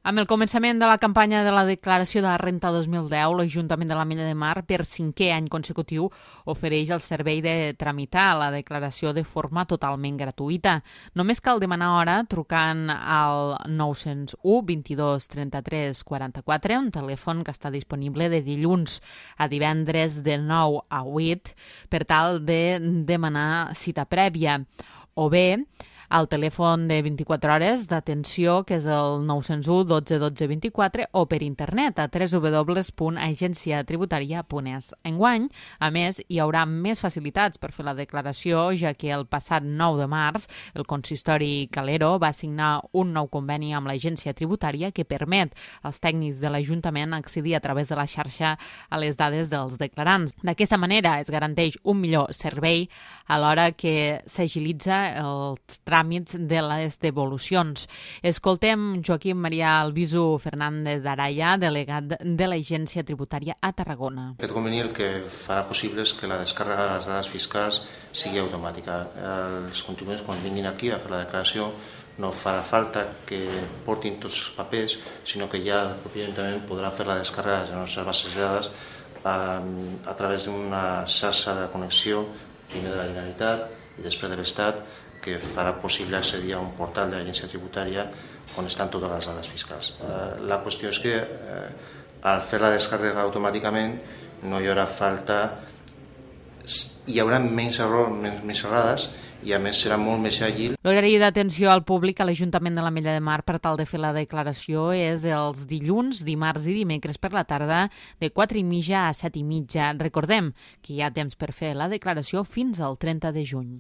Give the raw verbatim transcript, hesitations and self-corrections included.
Amb el començament de la campanya de la declaració de la renta dos mil deu, l'Ajuntament de l'Ametlla de Mar, per cinquè any consecutiu, ofereix el servei de tramitar la declaració de forma totalment gratuïta. Només cal demanar hora trucant al nou zero u, vint-i-dos, trenta-tres, quaranta-quatre, un telèfon que està disponible de dilluns a divendres de nou a vuit per tal de demanar cita prèvia, o bé al telèfon de vint-i-quatre hores d'atenció, que és el nou zero u, dotze, dotze, vint-i-quatre, o per internet a w w w punt agència tributària punt es. Enguany, a més, hi haurà més facilitats per fer la declaració, ja que el passat nou de març el consistori Calero va signar un nou conveni amb l'agència tributària que permet als tècnics de l'Ajuntament accedir a través de la xarxa a les dades dels declarants. D'aquesta manera es garanteix un millor servei a l'hora que s'agilitza el tràmits de les devolucions. Escoltem Joaquim Maria Albizu Fernández d'Araya, delegat de l'Agència Tributària a Tarragona. Aquest conveni el que farà possible és que la descàrrega de les dades fiscals sigui automàtica. Els contribuents, quan vinguin aquí a fer la declaració, no farà falta que portin tots els papers, sinó que ja el propi Ajuntament podrà fer la descàrrega de les nostres bases de dades a, a través d'una xarxa de connexió, primer de la Generalitat i després de l'Estat, que farà possible accedir a un portal de l'agència tributària on estan totes les dades fiscals. La qüestió és que al fer la descàrrega automàticament no hi haurà falta, hi haurà menys errors, menys errades, i a més serà molt més àgil. L'horari d'atenció al públic a l'Ajuntament de l'Ametlla de Mar per tal de fer la declaració és els dilluns, dimarts i dimecres per la tarda de quatre i mitja a set i mitja. Recordem que hi ha temps per fer la declaració fins al trenta de juny.